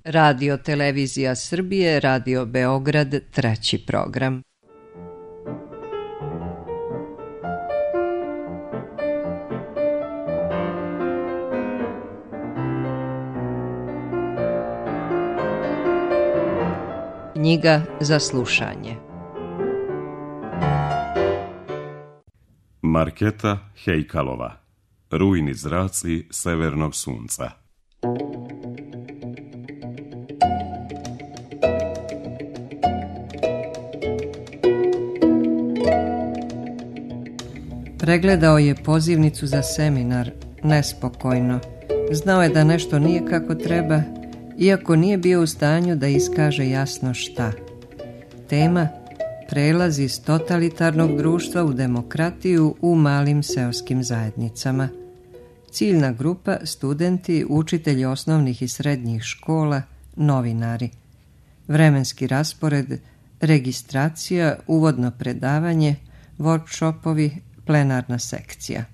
Radio Televizija Srbije, Radio Beograd, 3. program. Knjiga za slušanje. Marketa Hejkalova. Rujni zraci severnog sunca. Pregledao je pozivnicu za seminar, nespokojno. Znao je da nešto nije kako treba, iako nije bio u stanju da iskaže jasno šta. Tema: prelaz iz totalitarnog društva u demokratiju u malim seoskim zajednicama. Ciljna grupa: studenti, učitelji osnovnih i srednjih škola, novinari. Vremenski raspored: registracija, uvodno predavanje, workshopovi, plenarna sekcija.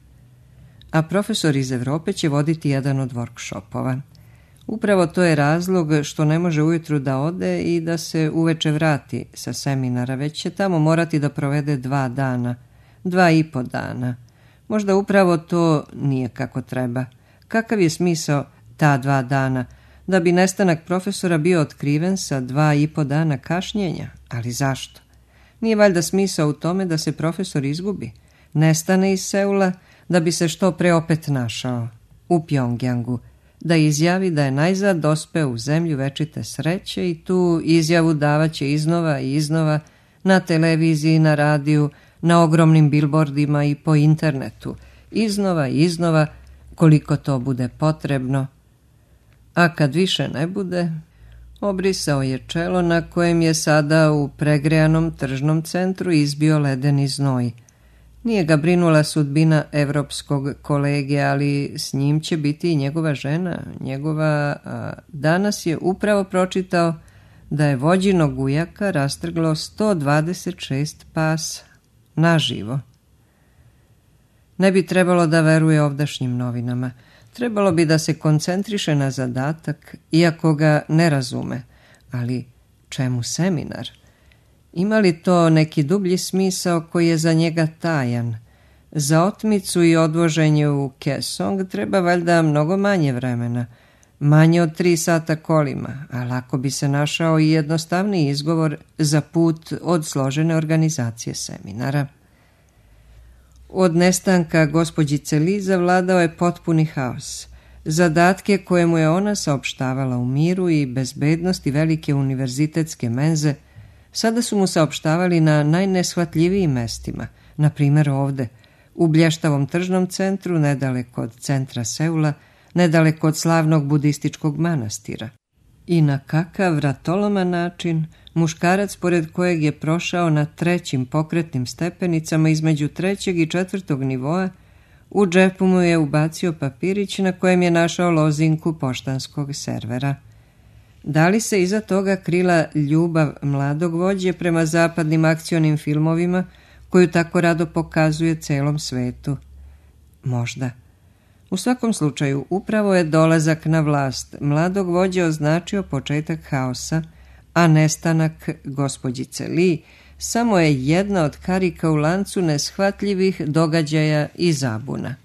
A profesor iz Evrope će voditi jedan od workshopova. Upravo to je razlog što ne može ujutru da ode i da se uveče vrati sa seminara, već će tamo morati da provede 2 dana, 2,5 dana. Možda upravo to nije kako treba. Kakav je smisao ta 2 dana? Da bi nestanak profesora bio otkriven sa 2,5 dana kašnjenja? Ali zašto? Nije valjda smisao u tome da se profesor izgubi, nestane iz Seula, da bi se što pre opet našao u Pjongjangu, da izjavi da je najzad dospeo u zemlju večite sreće i tu izjavu davaće iznova i iznova na televiziji, na radiju, na ogromnim bilbordima i po internetu, iznova i iznova koliko to bude potrebno. A kad više ne bude, obrisao je čelo na kojem je sada u pregrejanom tržnom centru izbio ledeni znoj. Nije ga brinula sudbina evropskog kolege, ali s njim će biti i njegova žena, danas je upravo pročitao da je vođinog ujaka rastrglo 126 pasa, naživo. Ne bi trebalo da veruje ovdašnjim novinama. Trebalo bi da se koncentriše na zadatak, iako ga ne razume. Ali čemu seminar? Ima li to neki dublji smisao koji je za njega tajan? Za otmicu i odvoženje u Kesong treba valjda mnogo manje vremena, manje od 3 sata kolima, a lako bi se našao i jednostavniji izgovor za put od složene organizacije seminara. Od nestanka gospođice Li zavladao je potpuni haos. Zadatke koje mu je ona saopštavala u miru i bezbednosti velike univerzitetske menze sada su mu saopštavali na najneshvatljivijim mestima, na primjer ovde, u blještavom tržnom centru, nedaleko od centra Seula, nedaleko od slavnog budističkog manastira. I na kakav vratoloman način muškarac pored kojeg je prošao na 3. pokretnim stepenicama između 3. i 4. nivoa, u džepu mu je ubacio papirić na kojem je našao lozinku poštanskog servera. Da li se iza toga krila ljubav mladog vođe prema zapadnim akcionim filmovima koju tako rado pokazuje celom svetu? Možda. U svakom slučaju, upravo je dolazak na vlast mladog vođe označio početak haosa, a nestanak gospođice Li samo je jedna od karika u lancu neshvatljivih događaja i zabuna.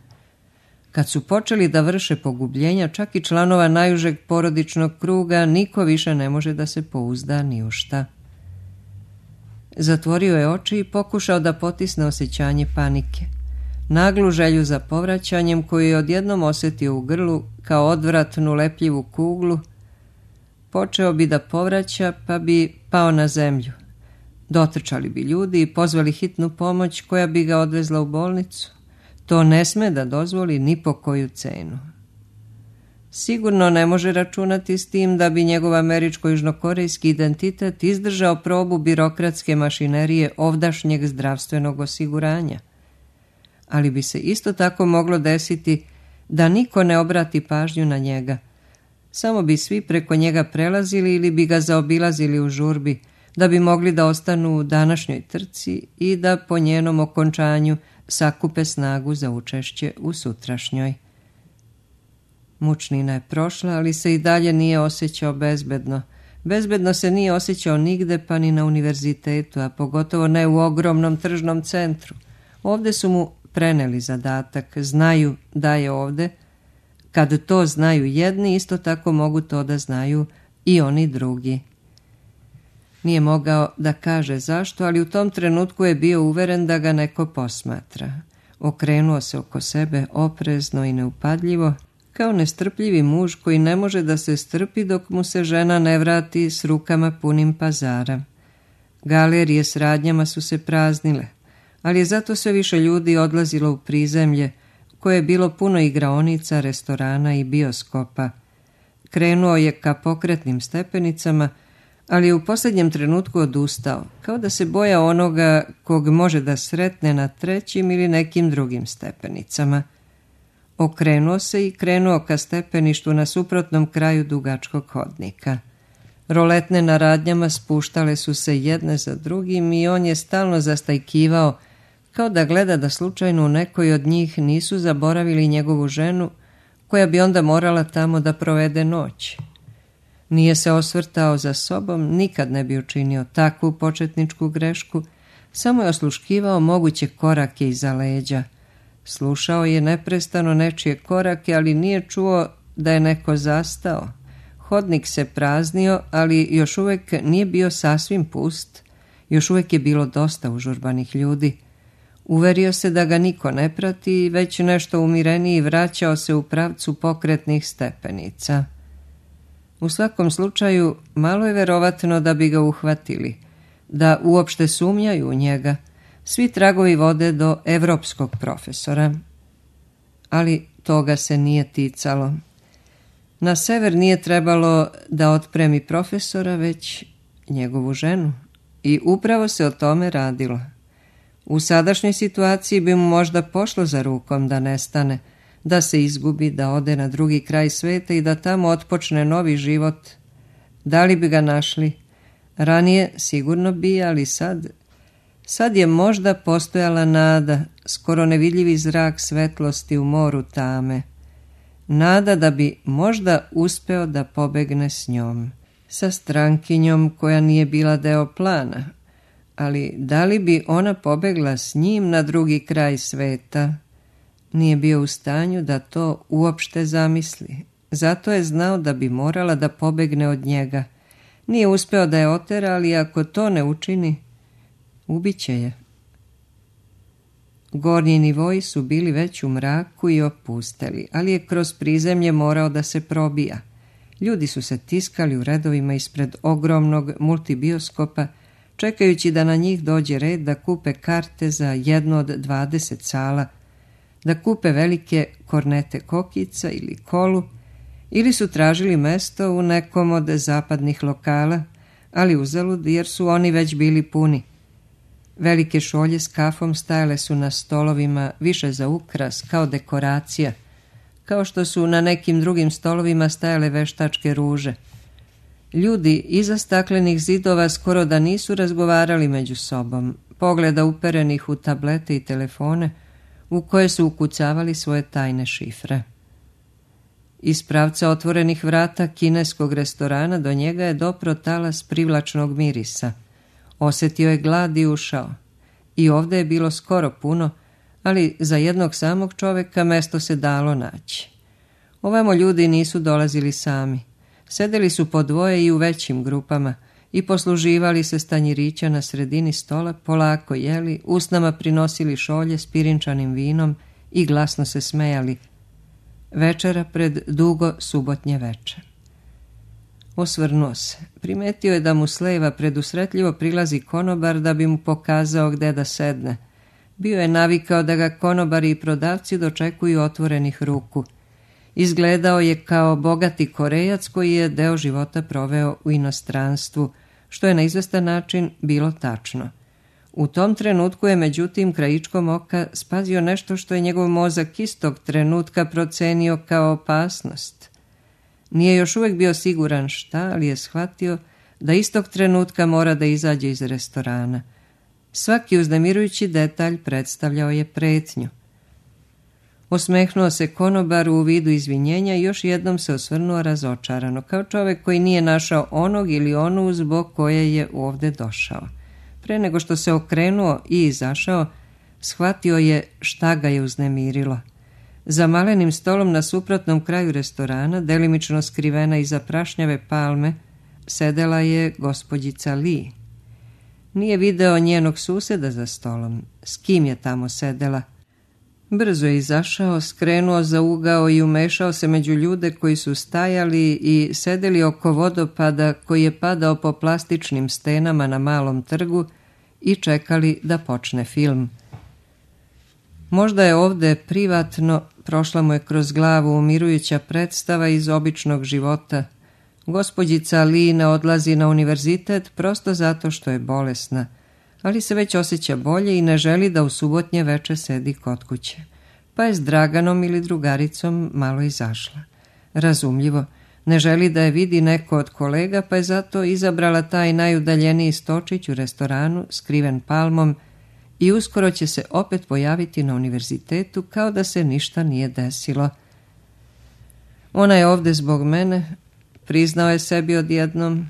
Kad su počeli da vrše pogubljenja čak i članova najužeg porodičnog kruga, niko više ne može da se pouzda ni u šta. Zatvorio je oči i pokušao da potisne osjećanje panike. Naglu želju za povraćanjem koju je odjednom osjetio u grlu kao odvratnu lepljivu kuglu. Počeo bi da povraća pa bi pao na zemlju. Dotrčali bi ljudi i pozvali hitnu pomoć koja bi ga odvezla u bolnicu. To ne sme da dozvoli ni po koju cenu. Sigurno ne može računati s tim da bi njegov američko-južnokorejski identitet izdržao probu birokratske mašinerije ovdašnjeg zdravstvenog osiguranja. Ali bi se isto tako moglo desiti da niko ne obrati pažnju na njega. Samo bi svi preko njega prelazili ili bi ga zaobilazili u žurbi, da bi mogli da ostanu u današnjoj trci i da po njenom okončanju sakupe snagu za učešće u sutrašnjoj. Mučnina je prošla, ali se i dalje nije osjećao bezbedno. Bezbedno se nije osjećao nigde, pa ni na univerzitetu, a pogotovo ne u ogromnom tržnom centru. Ovde su mu preneli zadatak, znaju da je ovde. Kad to znaju jedni, isto tako mogu to da znaju i oni drugi. Nije mogao da kaže zašto, ali u tom trenutku je bio uveren da ga neko posmatra. Okrenuo se oko sebe oprezno i neupadljivo, kao nestrpljivi muž koji ne može da se strpi dok mu se žena ne vrati s rukama punim pazara. Galerije s radnjama su se praznile, ali je zato sve više ljudi odlazilo u prizemlje, koje je bilo puno igraonica, restorana i bioskopa. Krenuo je ka pokretnim stepenicama, ali je u posljednjem trenutku odustao, kao da se bojao onoga kog može da sretne na trećim ili nekim drugim stepenicama. Okrenuo se i krenuo ka stepeništu na suprotnom kraju dugačkog hodnika. Roletne na radnjama spuštale su se jedne za drugim i on je stalno zastajkivao, kao da gleda da slučajno u nekoj od njih nisu zaboravili njegovu ženu, koja bi onda morala tamo da provede noć. Nije se osvrtao za sobom, nikad ne bi učinio takvu početničku grešku, samo je osluškivao moguće korake iza leđa. Slušao je neprestano nečije korake, ali nije čuo da je neko zastao. Hodnik se praznio, ali još uvijek nije bio sasvim pust. Još uvijek je bilo dosta užurbanih ljudi. Uverio se da ga niko ne prati i već nešto umireniji vraćao se u pravcu pokretnih stepenica. U svakom slučaju, malo je verovatno da bi ga uhvatili, da uopšte sumnjaju u njega. Svi tragovi vode do evropskog profesora. Ali toga se nije ticalo. Na sever nije trebalo da otpremi profesora, već njegovu ženu. I upravo se o tome radilo. U sadašnjoj situaciji bi mu možda pošlo za rukom da nestane, da se izgubi, da ode na drugi kraj sveta i da tamo otpočne novi život. Da li bi ga našli? Ranije sigurno bi, ali sad je možda postojala nada, skoro nevidljivi zrak svetlosti u moru tame. Nada da bi možda uspeo da pobegne s njom, sa strankinjom koja nije bila deo plana. Ali da li bi ona pobegla s njim na drugi kraj sveta? Nije bio u stanju da to uopšte zamisli. Zato je znao da bi morala da pobegne od njega. Nije uspeo da je otera, ali ako to ne učini, ubiće je. Gornji nivoji su bili već u mraku i opusteli, ali je kroz prizemlje morao da se probija. Ljudi su se tiskali u redovima ispred ogromnog multibioskopa, čekajući da na njih dođe red da kupe karte za jednu od 20 sala, da kupe velike kornete kokica ili kolu, ili su tražili mesto u nekom od zapadnih lokala, ali uzalud jer su oni već bili puni. Velike šolje s kafom stajale su na stolovima više za ukras, kao dekoracija, kao što su na nekim drugim stolovima stajale veštačke ruže. Ljudi iza staklenih zidova skoro da nisu razgovarali među sobom, pogleda uperenih u tablete i telefone, u koje su ukucavali svoje tajne šifre. Iz pravca otvorenih vrata kineskog restorana do njega je dopro talas privlačnog mirisa. Osjetio je glad i ušao. I ovdje je bilo skoro puno, ali za jednog samog čovjeka mesto se dalo naći. Ovamo ljudi nisu dolazili sami. Sedeli su po dvoje i u većim grupama i posluživali se stanjirića na sredini stola, polako jeli, usnama prinosili šolje s pirinčanim vinom i glasno se smejali. Večera pred dugo subotnje veče. Osvrnuo se. Primetio je da mu s leva predusretljivo prilazi konobar da bi mu pokazao gde da sedne. Bio je navikao da ga konobari i prodavci dočekuju otvorenih ruku. Izgledao je kao bogati Korejac koji je deo života proveo u inostranstvu, što je na izvestan način bilo tačno. U tom trenutku je međutim krajičkom oka spazio nešto što je njegov mozak istog trenutka procenio kao opasnost. Nije još uvijek bio siguran šta, ali je shvatio da istog trenutka mora da izađe iz restorana. Svaki uznemirujući detalj predstavljao je pretnju. Osmehnuo se konobaru u vidu izvinjenja i još jednom se osvrnuo razočarano, kao čovjek koji nije našao onog ili onu zbog koje je ovdje došao. Pre nego što se okrenuo i izašao, shvatio je šta ga je uznemirilo. Za malenim stolom na suprotnom kraju restorana, delimično skrivena iza prašnjave palme, sedela je gospođica Lee. Nije video njenog suseda za stolom. S kim je tamo sedela? Brzo je izašao, skrenuo za ugao i umešao se među ljude koji su stajali i sedeli oko vodopada koji je padao po plastičnim stenama na malom trgu i čekali da počne film. Možda je ovdje privatno, prošla mu je kroz glavu umirujuća predstava iz običnog života. Gospođica Lee ne odlazi na univerzitet prosto zato što je bolesna, ali se već osjeća bolje i ne želi da u subotnje veče sedi kod kuće. Pa je s Draganom ili drugaricom malo izašla. Razumljivo, ne želi da je vidi neko od kolega, pa je zato izabrala taj najudaljeniji stočić u restoranu, skriven palmom, i uskoro će se opet pojaviti na univerzitetu kao da se ništa nije desilo. Ona je ovdje zbog mene, priznao je sebi odjednom.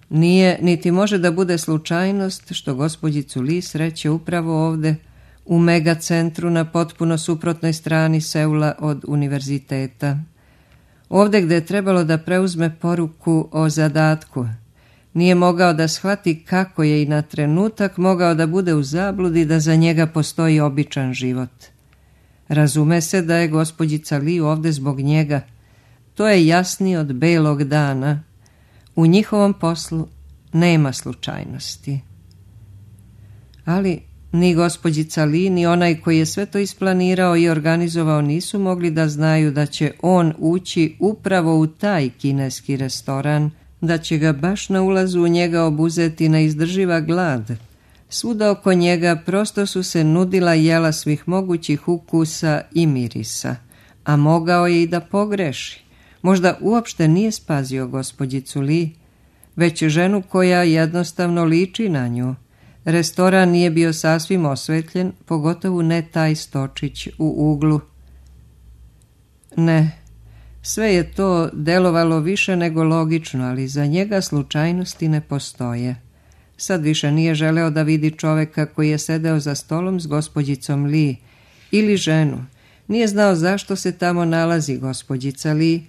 Nije, niti može da bude slučajnost što gospođicu Lee sreće upravo ovdje, u megacentru na potpuno suprotnoj strani Seula od univerziteta. Ovdje gdje je trebalo da preuzme poruku o zadatku. Nije mogao da shvati kako je i na trenutak mogao da bude u zabludi da za njega postoji običan život. Razume se da je gospođica Lee ovdje zbog njega. To je jasnije od belog dana. U njihovom poslu nema slučajnosti. Ali ni gospođica Lee, ni onaj koji je sve to isplanirao i organizovao nisu mogli da znaju da će on ući upravo u taj kineski restoran, da će ga baš na ulazu u njega obuzeti neizdrživa glad. Svuda oko njega prosto su se nudila jela svih mogućih ukusa i mirisa, a mogao je i da pogreši. Možda uopšte nije spazio gospođicu Lee, već ženu koja jednostavno liči na nju. Restoran nije bio sasvim osvetljen, pogotovo ne taj stočić u uglu. Ne, sve je to delovalo više nego logično, ali za njega slučajnosti ne postoje. Sad više nije želeo da vidi čoveka koji je sedeo za stolom s gospođicom Lee ili ženu. Nije znao zašto se tamo nalazi gospođica Lee,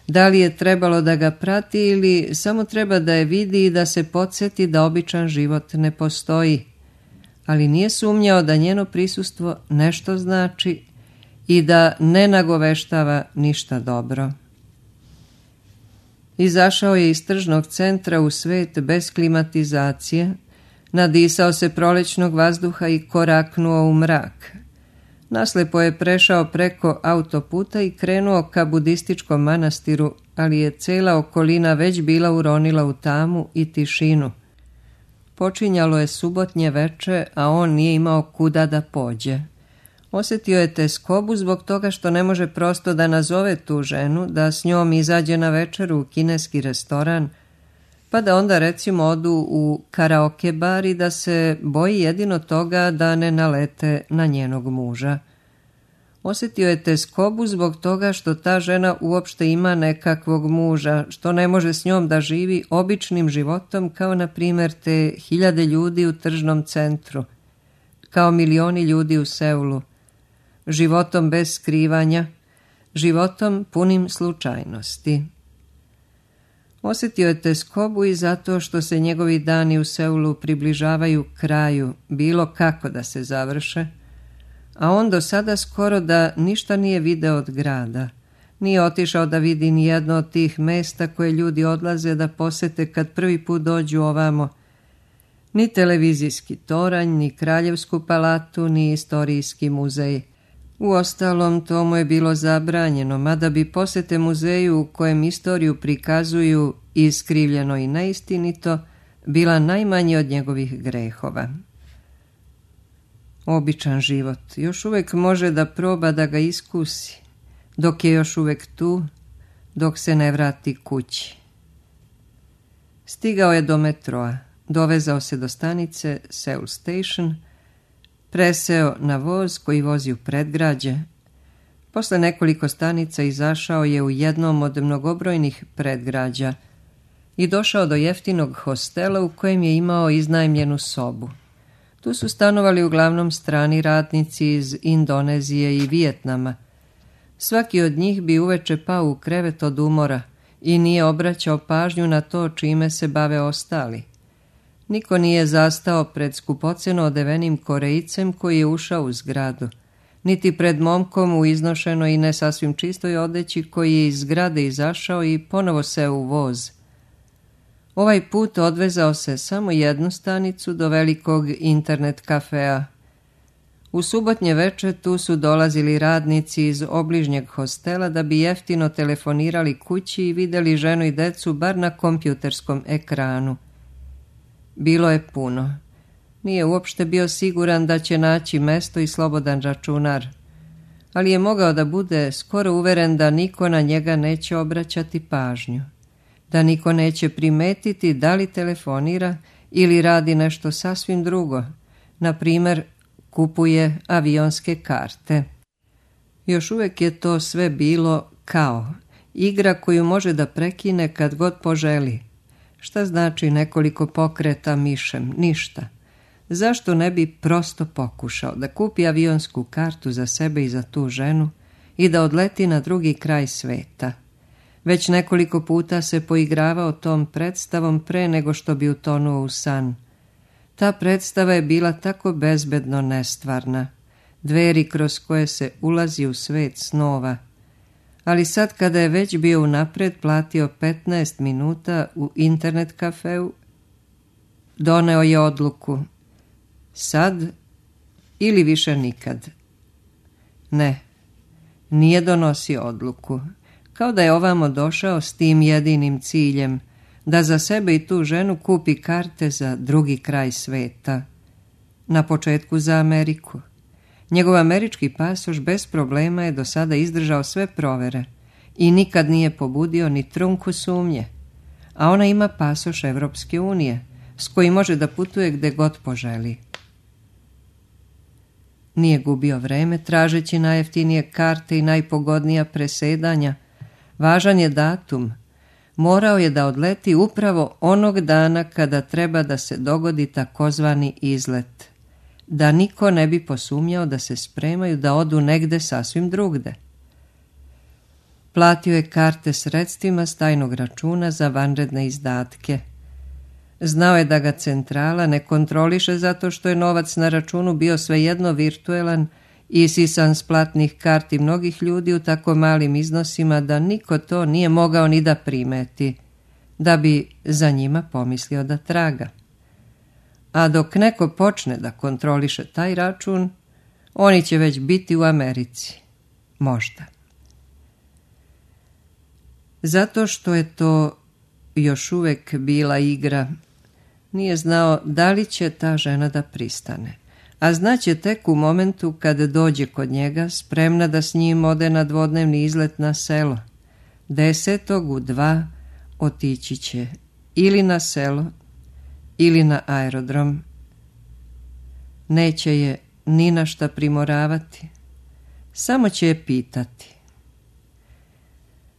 da li je trebalo da ga prati ili samo treba da je vidi i da se podsjeti da običan život ne postoji. Ali nije sumnjao da njeno prisustvo nešto znači i da ne nagoveštava ništa dobro. Izašao je iz tržnog centra u svet bez klimatizacije, nadisao se prolećnog vazduha i koraknuo u mrak. Naslepo je prešao preko autoputa i krenuo ka budističkom manastiru, ali je cela okolina već bila uronila u tamu i tišinu. Počinjalo je subotnje veče, a on nije imao kuda da pođe. Osjetio je teskobu zbog toga što ne može prosto da nazove tu ženu, da s njom izađe na večeru u kineski restoran, pa da onda recimo odu u karaoke bar i da se boji jedino toga da ne nalete na njenog muža. Osjetio je teskobu zbog toga što ta žena uopšte ima nekakvog muža, što ne može s njom da živi običnim životom kao na primjer te 1000 ljudi u tržnom centru, kao milioni ljudi u Seulu, životom bez skrivanja, životom punim slučajnosti. Osjetio je teskobu i zato što se njegovi dani u Seulu približavaju kraju, bilo kako da se završe, a on do sada skoro da ništa nije video od grada. Nije otišao da vidi ni jedno od tih mesta koje ljudi odlaze da posete kad prvi put dođu ovamo. Ni televizijski toranj, ni kraljevsku palatu, ni istorijski muzej. Uostalom, to mu je bilo zabranjeno, mada bi posete muzeju u kojem istoriju prikazuju iskrivljeno i neistinito bila najmanji od njegovih grehova. Običan život još uvijek može da proba da ga iskusi, dok je još uvijek tu, dok se ne vrati kući. Stigao je do metroa, dovezao se do stanice Seoul Station, preseo na voz koji vozi u predgrađe. Posle nekoliko stanica izašao je u jednom od mnogobrojnih predgrađa i došao do jeftinog hostela u kojem je imao iznajmljenu sobu. Tu su stanovali uglavnom strani radnici iz Indonezije i Vijetnama. Svaki od njih bi uveče pao u krevet od umora i nije obraćao pažnju na to čime se bave ostali. Niko nije zastao pred skupoceno odevenim Korejcem koji je ušao u zgradu, niti pred momkom u iznošenoj i ne sasvim čistoj odeći koji je iz zgrade izašao i ponovo seo u voz. Ovaj put odvezao se samo jednu stanicu do velikog internet kafea. U subotnje veče tu su dolazili radnici iz obližnjeg hostela da bi jeftino telefonirali kući i vidjeli ženu i decu bar na kompjuterskom ekranu. Bilo je puno. Nije uopšte bio siguran da će naći mesto i slobodan računar, ali je mogao da bude skoro uveren da niko na njega neće obraćati pažnju, da niko neće primetiti da li telefonira ili radi nešto sasvim drugo, na primer kupuje avionske karte. Još uvijek je to sve bilo kao igra koju može da prekine kad god poželi. Šta znači nekoliko pokreta mišem? Ništa. Zašto ne bi prosto pokušao da kupi avionsku kartu za sebe i za tu ženu i da odleti na drugi kraj sveta? Već nekoliko puta se poigravao tom predstavom pre nego što bi utonuo u san. Ta predstava je bila tako bezbedno nestvarna, dveri kroz koje se ulazi u svet snova. Ali sad kada je već bio unapred platio 15 minuta u internet kafeu, doneo je odluku: sad ili više nikad. Ne, nije donosio odluku, kao da je ovamo došao s tim jedinim ciljem, da za sebe i tu ženu kupi karte za drugi kraj sveta. Na početku za Ameriku. Njegov američki pasoš bez problema je do sada izdržao sve provere i nikad nije pobudio ni trunku sumnje, a ona ima pasoš Evropske unije s kojim može da putuje gde god poželi. Nije gubio vreme tražeći najjeftinije karte i najpogodnija presedanja. Važan je datum. Morao je da odleti upravo onog dana kada treba da se dogodi takozvani izlet, da niko ne bi posumnjao da se spremaju da odu negde sasvim drugde. Platio je karte sredstvima s tajnog računa za vanredne izdatke. Znao je da ga centrala ne kontroliše zato što je novac na računu bio svejedno virtuelan i isisan s platnih karti mnogih ljudi u tako malim iznosima da niko to nije mogao ni da primeti, da bi za njima pomislio da traga. A dok neko počne da kontroliše taj račun, oni će već biti u Americi. Možda. Zato što je to još uvijek bila igra, nije znao da li će ta žena da pristane. A znaće tek u momentu kada dođe kod njega, spremna da s njim ode na dvodnevni izlet na selo. 10. u 2 otići će ili na selo ili na aerodrom. Neće je ni na šta primoravati, samo će je pitati.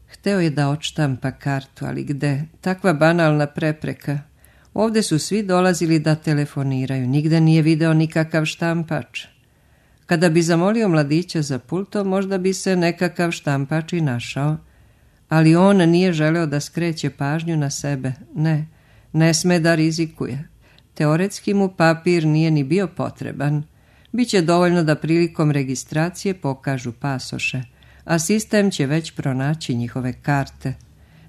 Hteo je da odštampa kartu, ali gde? Takva banalna prepreka. Ovde su svi dolazili da telefoniraju, nigde nije video nikakav štampač. Kada bi zamolio mladića za pultom, možda bi se nekakav štampač i našao, ali on nije želeo da skreće pažnju na sebe. Ne sme da rizikuje. Teoretski mu papir nije ni bio potreban. Biće dovoljno da prilikom registracije pokažu pasoše, a sistem će već pronaći njihove karte.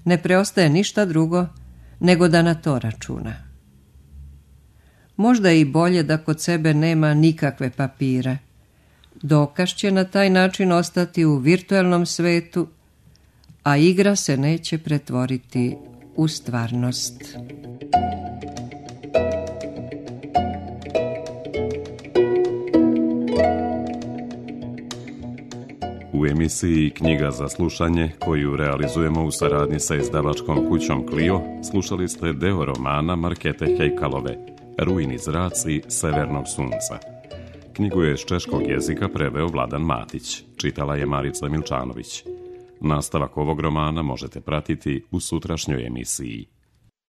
Ne preostaje ništa drugo nego da na to računa. Možda je i bolje da kod sebe nema nikakve papire. Dokaz će na taj način ostati u virtuelnom svetu, a igra se neće pretvoriti u stvarnost. U emisiji Knjiga za slušanje, koju realizujemo u saradnji sa izdavačkom kućom Clio, slušali ste deo romana Markete Hejkalove, Rujni zraci severnog sunca. Knjigu je s češkog jezika preveo Vladan Matić. čitala je Marica Milčanović. Nastavak ovog romana možete pratiti u sutrašnjoj emisiji.